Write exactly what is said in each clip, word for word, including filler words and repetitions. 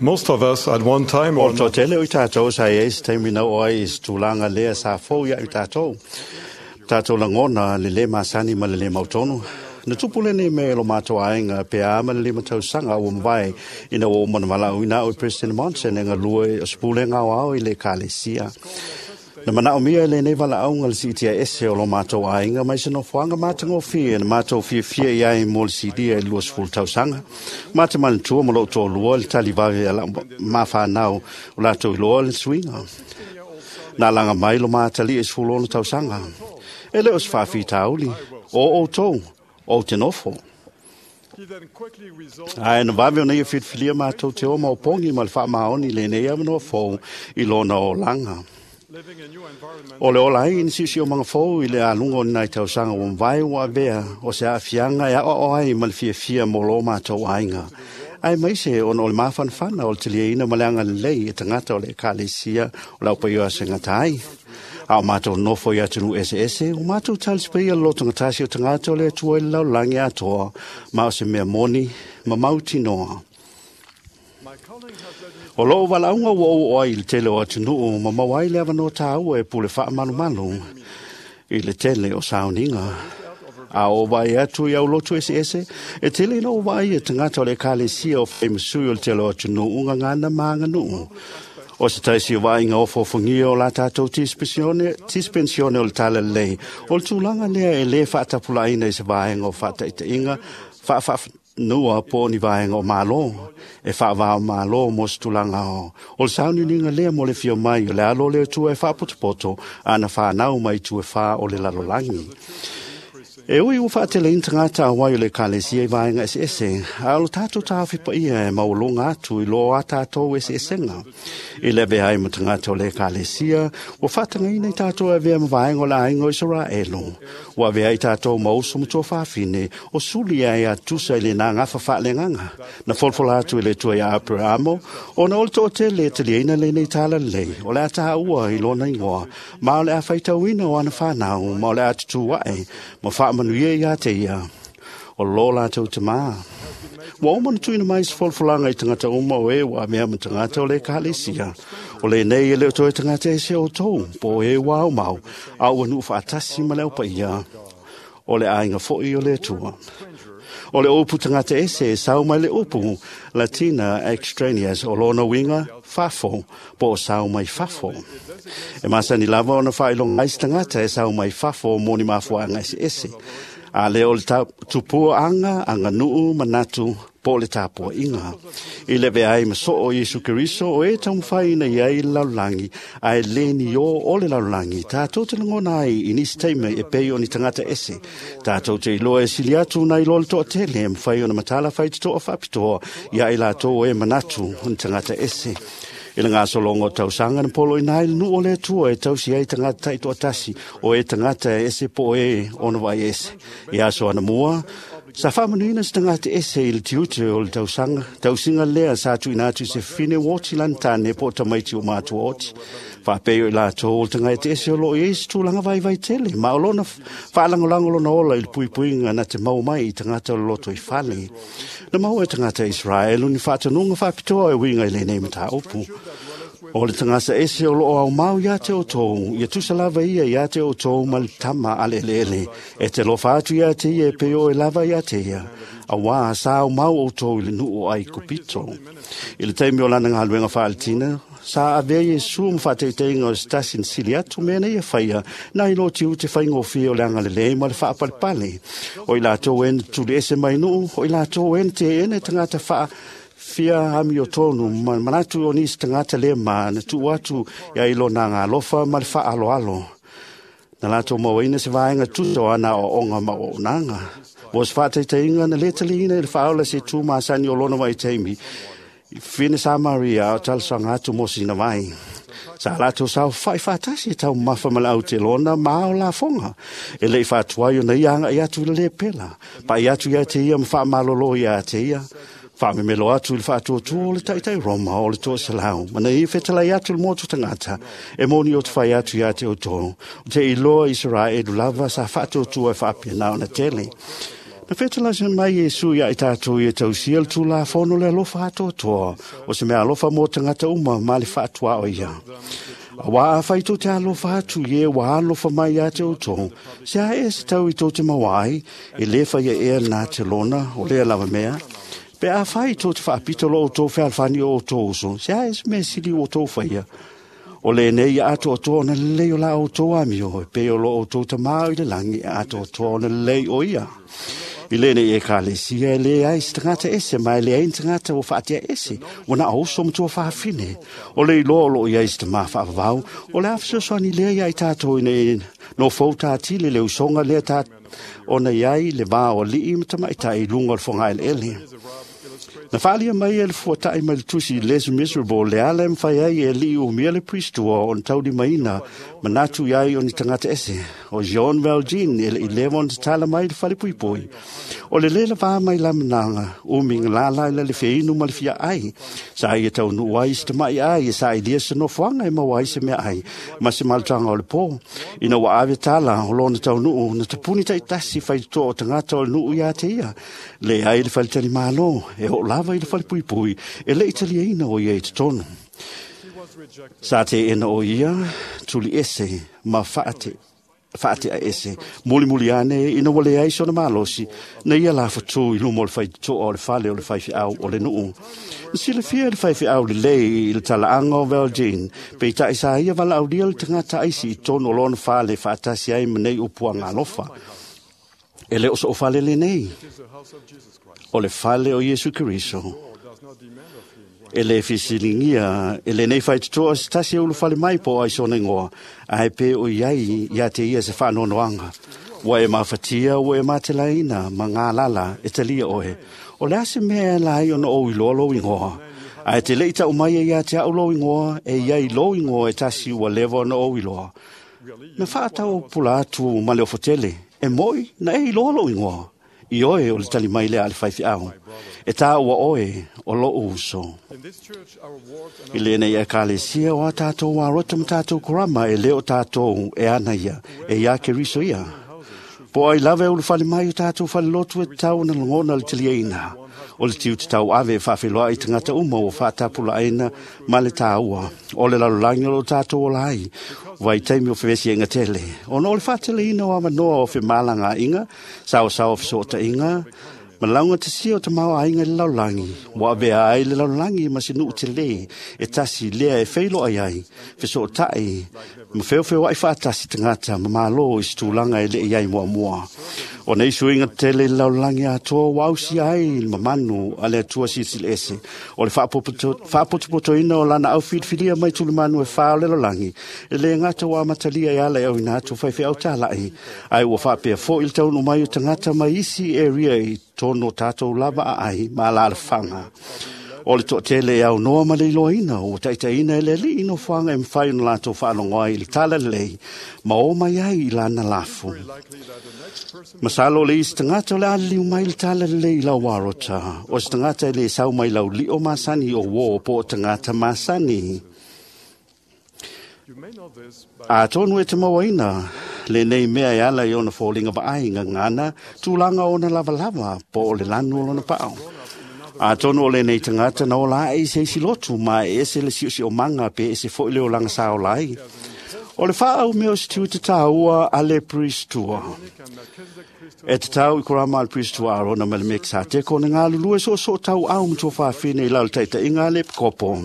Most of us at one time O or le another toatele o i tātou sa i ai se taimi na oo ai i se tulaga lea sa fou ia i tātou. Tātou lagona le lē masani ma le lē mautonu. Na tupu lenei mea i lo matou aiga pe a ma le lima tausaga ua mavae ina ua uma ona valaauina au e President Monson e galue o se pulega aoao i le Ekalesia. Na manaomia e lenei valaauga le siitia ese o lo matou aiga mai se nofoaga matagofie na matou fiafia i ai mo le silia i le luasefulu tausaga. Ma te manatua ma lou toalua le tali vave a lau mafanau o latou iloa le suiga. Na alaga mai lo matalii e sefulu ono tausaga. E le o se faafitauli, o outou, ou te nofo. He then quickly resolved Ae na vave ona ia filifilia matou te o maopogi ma le faamaoni i lenei avanoa fou i lona olaga. living a new environment O le ola ai ni siosiomaga fou i le aluga o ni nai tausaga ua mavae ua avea o se aafiaga e aoao ai ma le fiafia mo lo matou aiga. Ae maise ona o le mafanafana o le taliaina ma le agalelei e tagata o le Ekalesia o le aupaia asegata ai. A o matou nofo i atunuu eseese, ua matou talisapaia le lotogatasi o tagata o le Atua i le lalolagi atoa, ma o se mea moni ma mautinoa. My calling has led me O lou valaauga ua ou oo ai i le tele o atunuu ma maua ai le avanoa tāua e pule faamalumalu i le tele o sauniga. A o vaai atu i aulotu eseese, e tele ina ou vaai e tagata o le Ekalesia o faimasui o le tele o atunuu gagana ma aganuu. O se taisi o vaaiga ofoofogia o la tātou dispensione, dispensione o le talalelei, o le tulaga lea e lē faatapulaaina i se vaega o faataitaiga faafaafanua po o ni vaega o Malo, e faavao Malo mo se tulaga o. O le sauniuniga lea mo le fia mai o le alo o le Atua e faapotopoto ana fanau mai itu e fā o le lalolagi. E ui ua faateleina tagata auai o le Ekalesia i vaega eseese, a o le tatou taofi paia e maualuga atu i lo a tātou eseesega. I le avea ai ma tagata o le Ekalesia, ua faatagaina i tātou e avea ma vaega o le aiga o Isaraelu. Ua avea ai tātou ma uso ma tuafafine, o suli ai a tusa i le nagafa faaleagaga. Na folafola atu i le Atua ia Aperamo, ona o le toatele e taliaina lenei talalelei, o le a tāua i lona igoa, ma o le a faitauina o ana fanau, ma o le a tutū ae, ma faamanuia ia te ia, o lo latou tamā. Ua uma ona tuuina mai se folafolaga i tagata uma o e ua avea ma tagata o le Ekalesia. O lenei e le o toe tagata ese outou, po o e ua aumau, a ua nuu faatasi ma le aupaia, o le aiga foi o le Atua. O le upu tagata ese e sau mai le upu Latina extraneus o lona uiga fafo, po o sau mai fafo. E masani lava ona faailoga ai se tagata e sau mai fafo mo ni mafuaaga eseese. A lea o le ta- tupua aga, aganuu, manatu, po o le tapuaiga. I le avea ai ma soo Iesu Keriso o e taumafai i ai le lalolagi, ae le ni o o le lalolagi, tātou te lagona ai i nisi taimi e pei o ni tagata ese. Tātou te iloa e sili atu nai lo le toatele e mafai ona matala faitotoa faapitoa ia i latou o e manatu o ni tagata ese. I le gasologa o tausaga na poloina ai le nuu o le Atua e tausi ai tagata taitoatasi o e tagata e ese po o e ona vaai ese. I aso anamua, sa faamanuina se tagata ese i le tiute o le tausaga, tausiga lea sa tuuina atu i se fine ua oti lana tane po o tamaiti o matua oti. Faapei o i latou o le tagata ese o loo i ai se tulaga vaivai tele, ma o lona faalagolago lona ola i le puipuiga na te maua mai i tagata o le loto i fale. Na maua e tagata Israelu ni faatonuga faapitoa e uiga i lenei mataupu. O le tagata ese o loo aumau ia te outou, ia tusa lava ia ia te outou ma le tama a le eleele. E te lofa atu ia te ia e pei o e lava ia te ia. Auā sa aumau outou i le nuu o Aikupito. I le taimi o lana galuega faaletina, sa avea Iesu ma faataitaiga o se tasi na sili atu mea nei e faia, nai lo tiute faigofie o le agalelei ma le faapalepale. O i latou e na tuli ese mai nuu, o i latou e na teena e tagata faa fia amiotonu ma manatu o nisi tagata le ma na tuu atu ia i lona agalofa ma le faaaloalo. Na latou mauaina se vaega tusa o ana aoaoga ma auaunaga. Mo se faataitaiga na lē taliina i le faaola se tu masani o lona vaitaimi i fine Samaria a o talosaga atu mo sina vai. Sa latou saofai faatasi e taumafa ma le autelona ma ao lafoga. E lei faatuai ona ia agai atu i le lepela. Pai atu ia te ia ma faamalolo ia te ia. Faamemelo atu i le faatuatua o le taitai Roma o le toaselau. Ma na ia fetalai atu le motu tagata. E moni o te fai atu ia te outou. O te iloa Israelu lava sa faatuatua e faapena ona tele. Na whetalaisa mai Iesu ia i tātou i e tausia le tūlāfono le alofa atoatoa, o se mea alofa mō tangata uma ma le whaatua o ia. A wā a whai tō te alofa atu i e wā alofa mai a te outou, se a e se tau i tō te mawai, e le whai e ea nā te lona, o lea lava mea, pe a whai tō te whaapito lo o tō whealwhani o tō uso, se a e se mea sili o tō whaia. O le nei a atoa toa na lei o la o tō amio, e pe o lo o tō tamau i le langi a atoa toa na lei o ia. I le nei e ka le sia e le ai se tangata ese, mai le ai tangata o whaatea ese, o na auso matua whaafine. O le iloa o lo i ai se tama whaavavau, o le awhasoswani lea ia i tātou i nei no fau tātile le usonga lea tā o nei ai le vā o lii matama i tā i lunga o le whangai le ele. Na whaalia mai e le fuatai mai le tusi Les Miserable le ala mwhai ai e li o mia le priestua o ntaudi maina manatu iai o ni tangata ese. O Jean Valjean e le i lewa o tala mai le whale puipui. O le lela vā mai la mananga o minga lala i la le wheinu ma le fia ai. Sa ai e tau nu ai se tamai ai e sa i lia se nofuanga e maua ai se mea ai. Ma se maltanga o le pō. Ina wa ave tala o lona tau nuu na tapuni tai tasi whai toa o tangata o le nuu ia te ia. Le ai le whale tali malo e o lava i le whale puipui e le italia ina o ia i te tonu. Sa te ena o ia, tuli ese, ma whaate, whaate a ese, muli muli ane, ina wale ai sona malosi, na ia la whatu i lumo o le whai toa o le whale o le whai whiau o le nuu. Na sila fia le whai whiau le lei i le talaanga o Valjean, pe i tai sa ia wala aulia le tangata aisi i tonu o lona whale whaatasi ai manei upua ngā lofa. E le oso o whale le nei, o le whale o Iesu Keriso. E le fisilingia, e le nei whai tutoa se tasi ulu whale mai po ai sona ingoa, a he pe o iai ia te ia se whaanonoanga. Wa e mawhatia, wa e matelaina, ma ngā lala, e talia oe. O le ase mea e lai ona o iloa lo ingoa. A e te leita o mai e ia te au lo ingoa, e iai lo ingoa e tasi ua lewa ona o iloa. Na whaatau pula atu ma le ofotele, e moi na e iloa lo ingoa. I oe o le tali mai lea a le whaiwhi au. E tā ua oe o lo uso. I le nei e kālesia o a tātou wā rota ma tātou korama e leo tātou e ana ia, e ia ke riso ia. Po ai lave o le whale mai o tātou whale lotu e tau na langona le telia ina. O le tiu te tau ave e whawheloa i tangata uma o whātapula aina ma le tāua. O le lalulangi o lo tātou o lai. Vai taimi o whewesi e ngatele. O no le whātele ina o awanoa o whemalanga inga, sao sao whesota inga, Malaunga te sia o te maua ainga le laulangi. Wa avea ai le laulangi ma se nuu te le. E tasi lea e wheilo ai ai. Feso o tai. Ma wheo ai whaatasi tangata ma malo i situlanga e le i ai mua mua. O nei suinga tele le laulangi atoa wausi ai le mamanu a le atua sisile ese. O le whaapotopotoina o lana au whiriwhiria mai tulimanu e whao le laulangi. E le ngata wa matalia e ala e au ina atu whaiwhi au tālai. Ai ua whaapea fo i le taunu mai o tangata mai isi area i tono tātou lava a ai ma la le whanga. O le to'atele e au noa ma le iloaina o taitaina e le alii no fuaga e mafai ona latou faalogo ai i le tala lelei ma o mai ai i lana lafu. Masalo o le isi tagata o le aliliu mai le tala lelei i lau arota, o se tagata e lē sau mai lau li'o masani o uō po o tagata masani. A tonu e te mauaina, le nei mea e ala i ona fōlinga vaai ngangana, tūlanga ona lavalava po o le lanu o lona pao. A tonu o le nei tangata na ola e se isi lotu ma e ese le sio sio manga pe ese fo i le olanga sa ola ai. O le whaau mea o se tiu te tāua a le priestua. E te tau i korama al priestua arona ma le mek sa te kona ngā lulue so so tau au mtua whaafine i lau taita inga le kopo.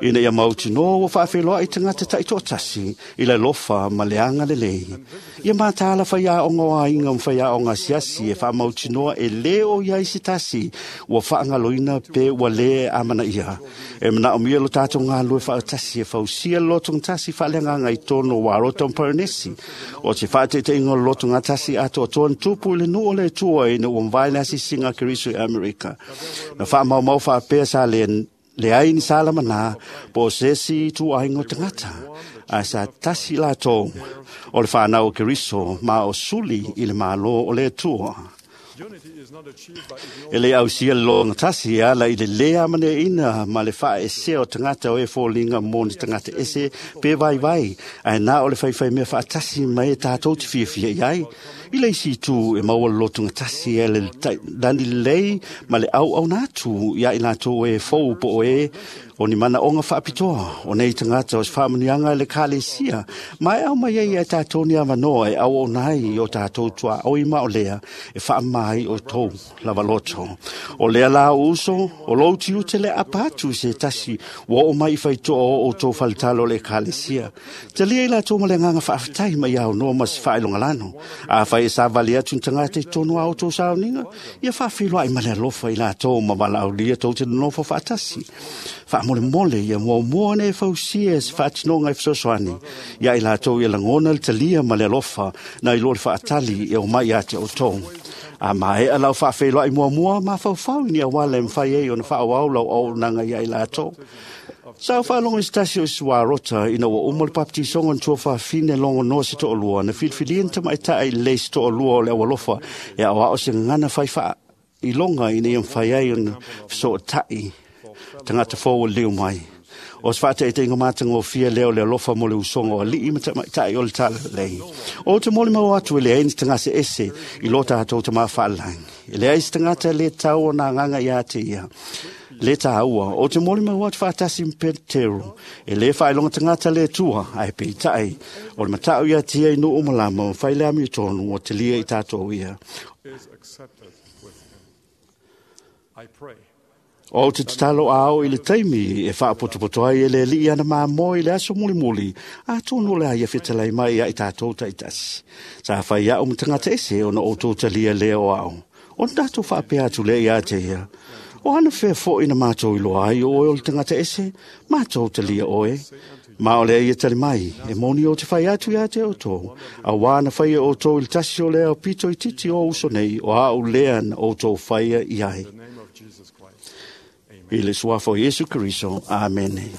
Ina ia mauti noa wa whaawheloa i tangata tai tōtasi i le lofa ma le anga le lei. Ia mātāla whaia o ngā inga mwhaia o ngā siasi e wha mauti noa e leo ia isi tasi ua whaangaloina pe ua le amana ia. E mana o mia lo tātou ngā lue whaatasi e whausia loto ngtasi whaaleanga i tono wa roto mparanesi. O te whaatete inga loto ngātasi atoa toan tupu i le nuu o le tua i na ua mwae nasi singa Keriso i Amerika. Na wha mau mau whaapea sa le, le ai ni sala mana po sesi tu aingo tangata. A sa tasi la tō o le whanau o Keriso ma o suli i le malo o le tua. E le au sia longa tasi ala i le lea mane ina ma le wha e se o tangata o e fōlinga mōni tangata ese pe vai vai. Ai nā o le whai whai mea wha tasi mai e tātou te whia whia i ai. I le isi itu e maua le lotogatasi e le lani lelei ma le auauna atu ia i latou e fou po o e o ni manaoga faapitoa o nei tagata o se faamanuiaga i le Ekalesia ma e aumai ai ia tatou ni avanoa e auauna ai i o tatou tuaoi ma o lea e faamama ai outou lava loto. O lea la o uso, o lou tiute le apa atu i se tasi ua oo mai i faitoa o outou faletalo o le Ekalesia. Talia i latou ma le agaga faafetai mai aunoa ma se faailogalano. Afai e savali atu ni tagata i totonu a outou sauniga, ia faafeiloai ma le alofa i latou ma valaaulia tou te nonofo faatasi. Faamolemole ia muamua ona e fausia se faatinoga e fesoasoani ia i latou ia lagona le talia ma le alofa nai lo le faatali e omai ia te outou. A maea lau faafeiloai muamua, mafaufau i ni auala e mafai ai ona faaauau lau auaunaga ia i latou. Sa ou faalogo i se tasi o isi ina ua uma le papatisoga na tuafafine logonoa se toalua na filifilia ni tamaitai lelei se toalua o le aualofa e aoao se gagana fai faailoga ina ia mafai ai ona fesootai tagata fou o leu mai. O se faataitaiga matagofie lea o le alofa mo le usoga o alii ma tamaitai o le talalelei. O te molimau atu e leai ni tagase ese i lo tatou tamā faalagi. E leai se tagata le tatau ona agaga ia te ia. Le tāua, o te molimau atu faatasi ma Petero, e le faailoga tagata le Atua, ae peitai, o le matau ia te ia i nuu malama ma fai le amiotonu ua talia i tatou ia. is accepted with him. I pray O te tatalo a ao i le taimi e faapotopoto ai e le alii ana mamoe i le aso mulimuli, atonu o le a ia fetalai mai ia i tatou taitasi. Sa fai au ma tagata ese ona outou talia lea o ao. Ona tatou faapea atu lea ia te ia. O ana fea foi na mātou iloa ai o oe o le tagata ese, mātou talia oe. Ma o lea ia tali mai, e moni o te fai atu ia te outou. Auā na faia outou i le tasi o lea o pito itiiti o uso nei, o au lea na outou faia i ai. in the name of Jesus Christ. I le suafa o Iesu Keriso. Amene.